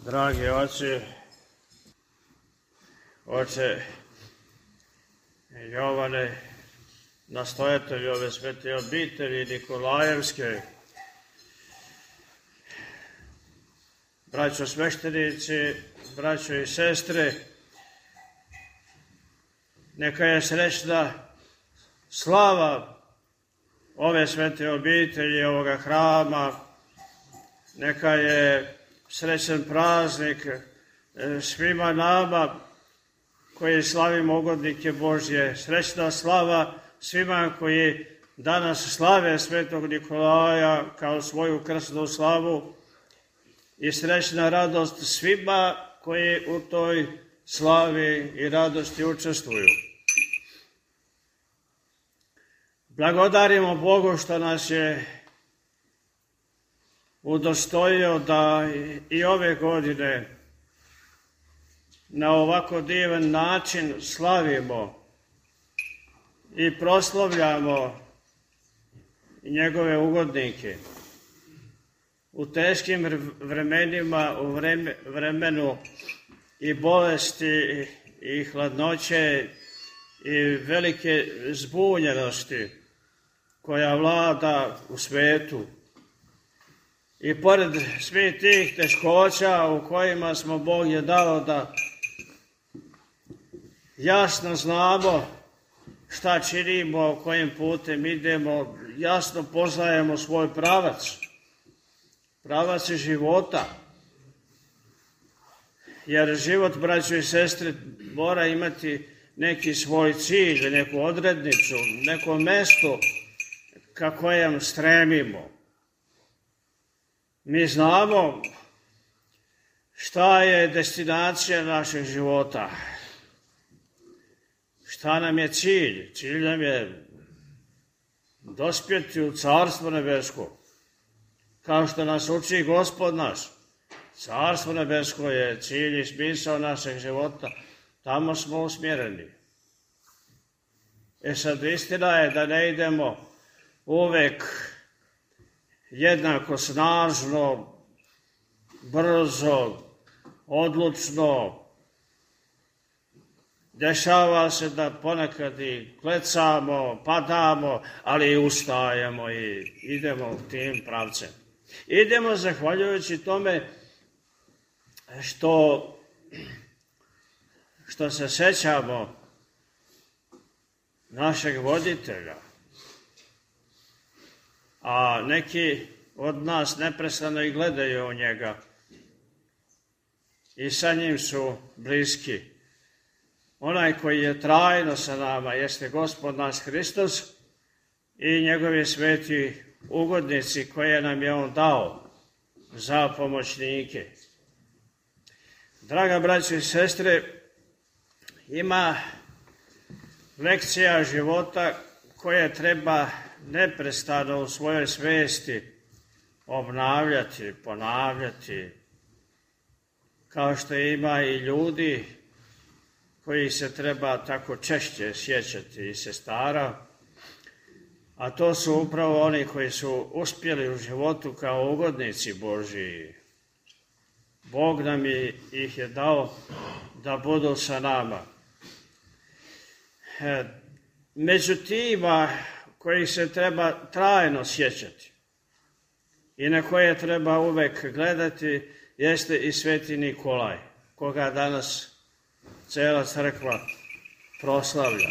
Dragi oče Jovane, nastojatelj ove svete obitelji Nikolajevske, braćo sveštenici, braćo i sestre, neka je srećna slava ove svete obitelji, ovoga hrama, neka je srećan praznik svima nama koji slavimo ugodnike Božje. Srećna slava svima koji danas slave svetog Nikolaja kao svoju krsnu slavu i srećna radost svima koji u toj slavi i radosti učestvuju. Blagodarimo Bogu što nas je udostojio da i ove godine na ovako divan način slavimo i proslavljamo njegove ugodnike. U teškim vremenima, u vremenu i bolesti i hladnoće i velike zbunjenosti koja vlada u svetu, i pored svih tih teškoća u kojima smo Bog je dao da jasno znamo šta činimo, kojim putem idemo, jasno poznajemo svoj pravac života. Jer život, braćo i sestre, mora imati neki svoj cilj, neku odrednicu, neko mesto ka kojem stremimo. Mi znamo šta je destinacija našeg života, šta nam je cilj. Cilj nam je dospjeti u Carstvo nebesko, kao što nas uči Gospod naš. Carstvo nebesko je cilj i smisao našeg života, tamo smo usmjereni. Sad istina je da ne idemo uvek jednako snažno, brzo, odlučno. Dešava se da ponekad i klecamo, padamo, ali i ustajemo i idemo tim pravcem. Idemo zahvaljujući tome što se sećamo našeg voditelja, a neki od nas neprestano i gledaju u njega i sa njim su bliski. Onaj koji je trajno sa nama jeste Gospod naš Hristos i njegovi sveti ugodnici koje nam je on dao za pomoćnike. Draga braćo i sestre, ima lekcija života koje treba neprestano u svojoj svesti obnavljati, ponavljati, kao što ima i ljudi koji se treba tako češće sjećati i sestara, a to su upravo oni koji su uspjeli u životu kao ugodnici Božiji. Bog nam ih je dao da budu sa nama. Među tima kojih se treba trajno sjećati i na koje treba uvek gledati jeste i sveti Nikolaj, koga danas cela crkva proslavlja.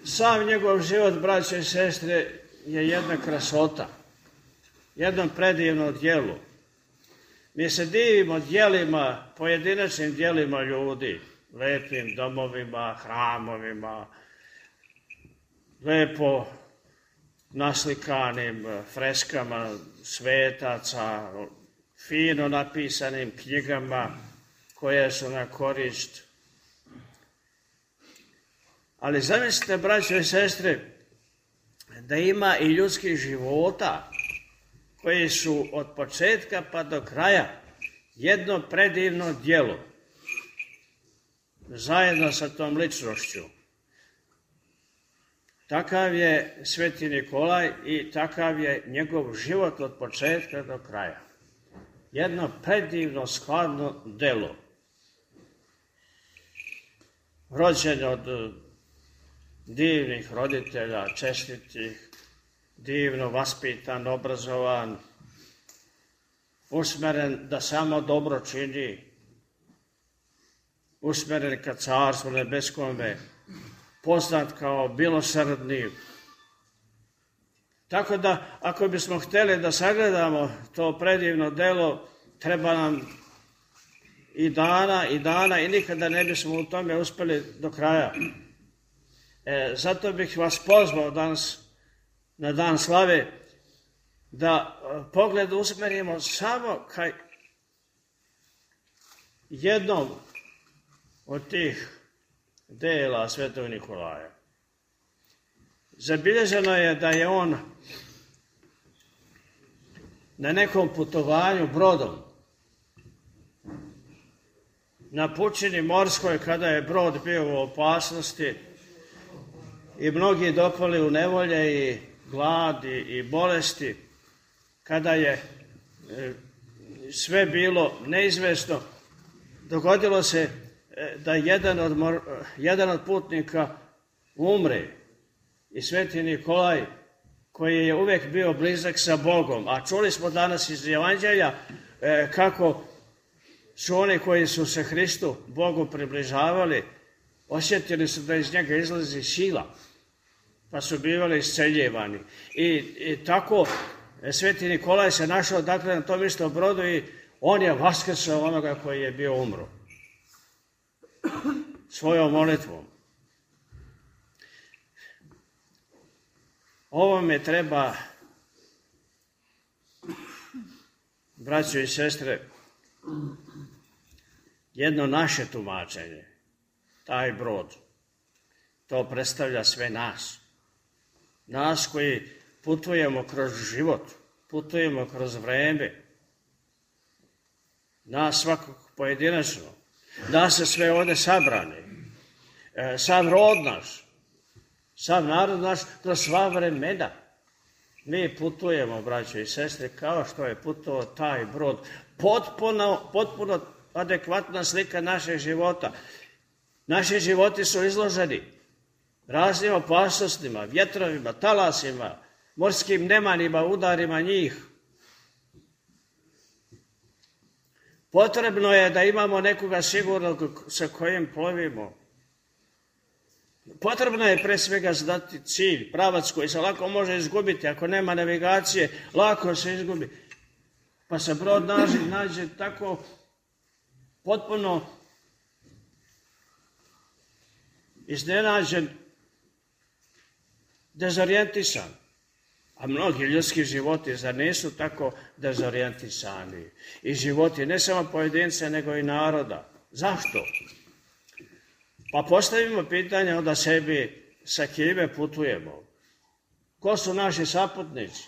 Sam njegov život, braćo i sestre, je jedna krasota, jedno predivno djelo. Mi se divimo djelima, pojedinačnim djelima ljudi, lepim domovima, hramovima, lepo naslikanim freskama svetaca, fino napisanim knjigama koje su na korist. Ali zamislite, braćo i sestre, da ima i ljudskih života koji su od početka pa do kraja jedno predivno djelo zajedno sa tom ličnošću. Takav je Sveti Nikolaj i takav je njegov život od početka do kraja. Jedno predivno, skladno delo. Rođen od divnih roditelja, čestitih, divno vaspitan, obrazovan, usmeren da samo dobro čini, usmeren ka Carstvu nebeskome, poznat kao milosrdni. Tako da, ako bismo htjeli da sagledamo to predivno delo, treba nam i dana i nikada ne bismo u tome uspjeli do kraja. Zato bih vas pozvao danas na dan slave da pogled usmerimo samo ka jednom od tih dela Svetog Nikolaja. Zabilježeno je da je on na nekom putovanju brodom na pučini morskoj, kada je brod bio u opasnosti i mnogi dopali u nevolje i gladi i bolesti, kada je sve bilo neizvesno, dogodilo se da jedan od putnika umre i Sveti Nikolaj, koji je uvijek bio blizak sa Bogom, a čuli smo danas iz Evanđelja kako su oni koji su se Hristu, Bogu približavali, osjetili su da iz njega izlazi sila, pa su bivali isceljivani. I tako Sveti Nikolaj se našao dakle na tom istom brodu i on je vaskrsao onoga koji je bio umro. Svojom molitvom. Ovome treba, braćo i sestre, jedno naše tumačenje. Taj brod, to predstavlja sve nas. Nas koji putujemo kroz život, putujemo kroz vreme, nas svakog pojedinačno, nas se sve ovdje sabrane, sam rod naš, sam narod naš, kroz sva vremena. Mi putujemo, braćo i sestre, kao što je putovao taj brod. Potpuno adekvatna slika našeg života. Naši životi su izloženi raznim opasnostima, vjetrovima, talasima, morskim nemanima, udarima njih. Potrebno je da imamo nekoga sigurnog sa kojim plovimo. Potrebno je pre svega znati cilj, pravac koji se lako može izgubiti. Ako nema navigacije, lako se izgubi. Pa se brod nađe tako potpuno iznenađen, dezorijentisan. A mnogi ljudski životi zar nisu tako dezorijentisani? I životi ne samo pojedinca, nego i naroda. Zašto? Pa postavimo pitanje onda sebi, sa kime putujemo? Ko su naši saputnici?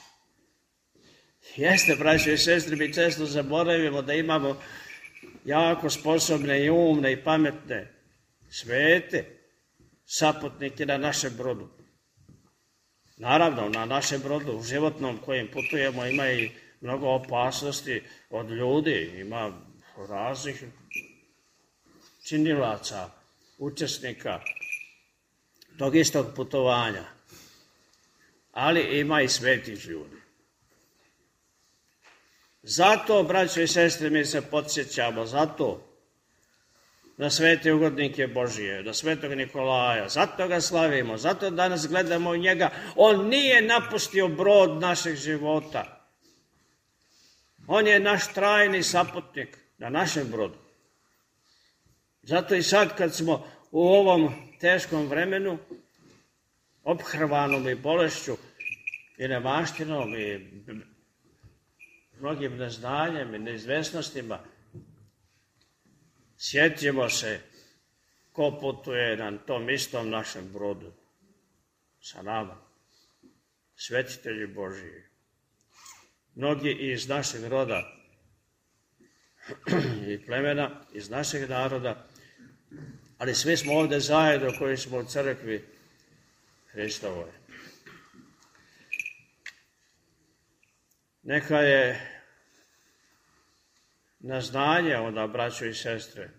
Jeste, braćo i sestre, mi često zaboravimo da imamo jako sposobne i umne i pametne, svete saputnike na našem brodu. Naravno, na našem brodu, u životnom kojim putujemo, ima i mnogo opasnosti od ljudi, ima raznih činilaca, učesnika tog istog putovanja. Ali ima i svetih ljudi. Zato, braćo i sestre, mi se podsjećamo, zato na svete ugodnike Božije, na Svetog Nikolaja, zato ga slavimo, zato danas gledamo u njega. On nije napustio brod našeg života. On je naš trajni saputnik na našem brodu. Zato i sad kad smo u ovom teškom vremenu, ophrvanom i bolešću i nemaštinom i mnogim neznanjem i neizvesnostima, sjetimo se ko putuje na tom istom našem brodu sa nama, svetitelji Božiji. Mnogi iz našeg roda i plemena, iz našeg naroda, ali svi smo ovdje zajedno koji smo u crkvi Hristovoj. Neka je na znanje onda, braćo i sestre,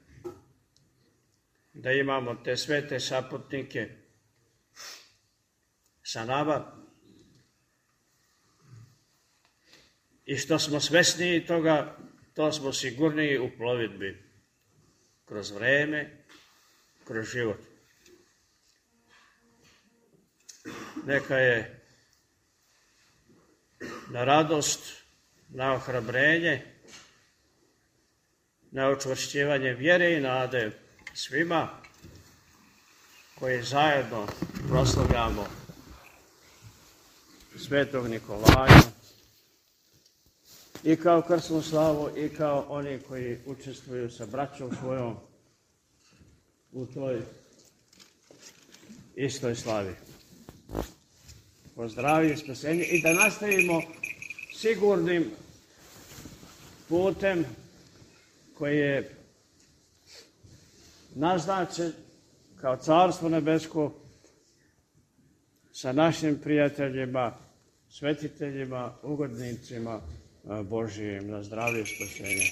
da imamo te svete saputnike sa nama i što smo svesniji toga, to smo sigurniji u plovidbi kroz vreme, kroz život. Neka je na radost, na ohrabrenje, na učvršćivanje vjere i nade svima koji zajedno proslavljamo Svetog Nikolaja i kao krsnu slavu i kao oni koji učestvuju sa braćom svojom u toj istoj slavi. Pozdravlje, spasenje i da nastavimo sigurnim putem koji je naznačen kao Carstvo nebesko sa našim prijateljima, svetiteljima, ugodnicima Božijim na zdravlje i spasenje.